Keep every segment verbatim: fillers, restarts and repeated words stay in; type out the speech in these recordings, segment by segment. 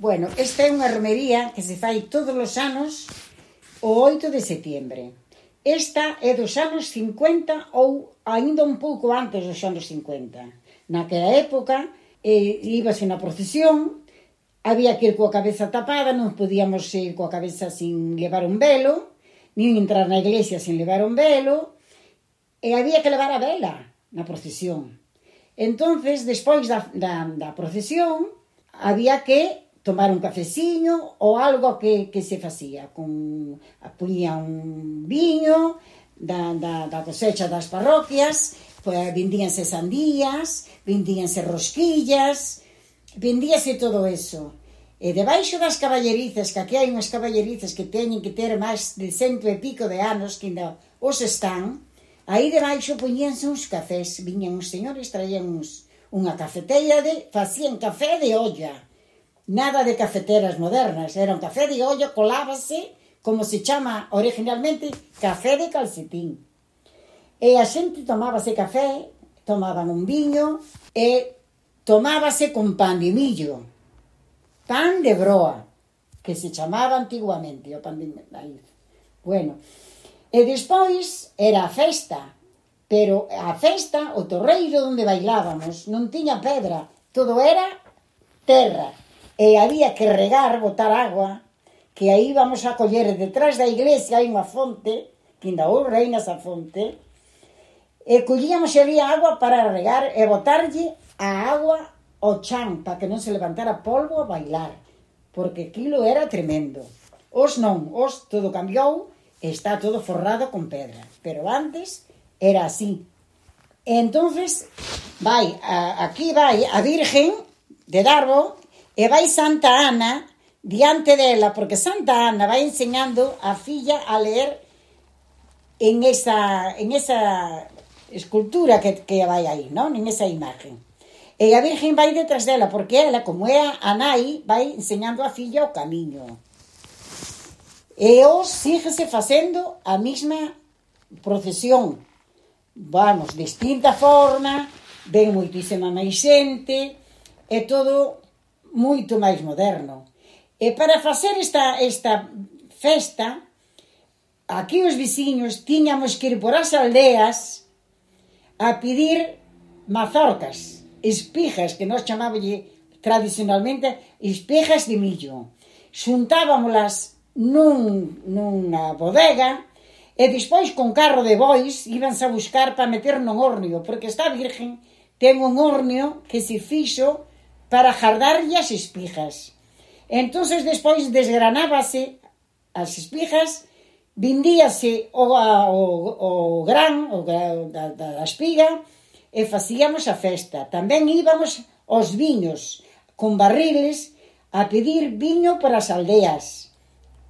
Bueno, esta é unha romería que se fai todos os anos o oito de setiembre. Esta é dos anos cincuenta ou aínda un pouco antes dos anos cincuenta. Naquela época, eh, íbase na procesión, había que ir coa cabeza tapada, non podíamos ir coa cabeza sin levar un velo, nin entrar na iglesia sin levar un velo, e había que levar a vela na procesión. Entonces, despois da, da, da procesión, había que tomar un cafeciño ou algo que, que se facía. Con, puñía un viño da, da, da cosecha das parroquias, pues, vendíanse sandías, vendíanse rosquillas, vendíase todo eso. E debaixo das caballerizas, que aquí hai unhas caballerizas que teñen que ter máis de cento e pico de anos, que ainda os están, aí debaixo poñíanse uns cafés, viñan uns señores, traían uns, unha cafeteira, de, facían café de olla. Nada de cafeteras modernas, era un café de olla, colábase, como se chama originalmente, café de calcetín. E a xente tomábase café, tomaban un viño, e tomábase con pan de millo, pan de broa, que se chamaba antiguamente, o pan de maíz. Bueno, e despois era a festa, pero a festa, o torreiro onde bailábamos, non tiña pedra, todo era terra. E había que regar, botar agua, que aí vamos a coller detrás da iglesia, hai unha fonte, que ainda hoxe reina esa fonte, e collíamos e había agua para regar e botarlle a agua ao chan, para que non se levantara polvo a bailar, porque aquilo era tremendo. Os non, os todo cambiou, e está todo forrado con pedra, pero antes era así. E entonces vai, a, aquí vai a Virgen de Darbo, e vai Santa Ana diante dela, porque Santa Ana vai enseñando a filla a ler en esa, en esa escultura que, que vai aí, non? En esa imagen. E a Virgen vai detrás dela, porque ela, como é a nai, vai enseñando a filla o camiño. E os síguese facendo a mesma procesión. Vamos, distinta forma, ven moitísima máis xente, é todo moito máis moderno. E para facer esta, esta festa, aquí os veciños tiñamos que ir por as aldeas a pedir mazorcas, espijas, que nós chamábamos tradicionalmente espijas de millo. Xuntábamolas nun, nunha bodega e despois con carro de bois íbanse a buscar para meter non hornio, porque esta Virgen ten un hornio que se fixo para jardarlle as espijas. Entonces despois desgranábase as espijas, vindíase o, o, o gran o, da, da espiga e facíamos a festa. Tamén íbamos aos viños con barriles a pedir viño para as aldeas,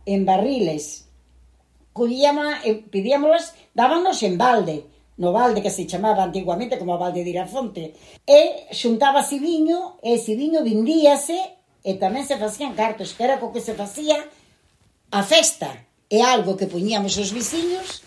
en barriles. Collíamos, pedíamolas, dábanos en balde, no balde que se chamaba antiguamente como a balde de Irafonte, e xuntábase viño, e ese viño vindíase, e tamén se facían cartos, que era co que se facía a festa. É algo que poñíamos os veciños,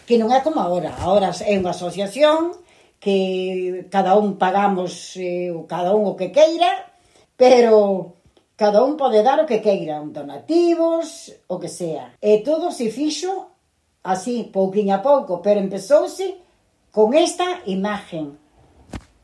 que non é como agora. Agora é unha asociación, que cada un pagamos, eh, cada un o que queira, pero cada un pode dar o que queira, donativos, o que sea. E todo se fixo así, pouquinho a pouco, pero empezouse con esta imagen.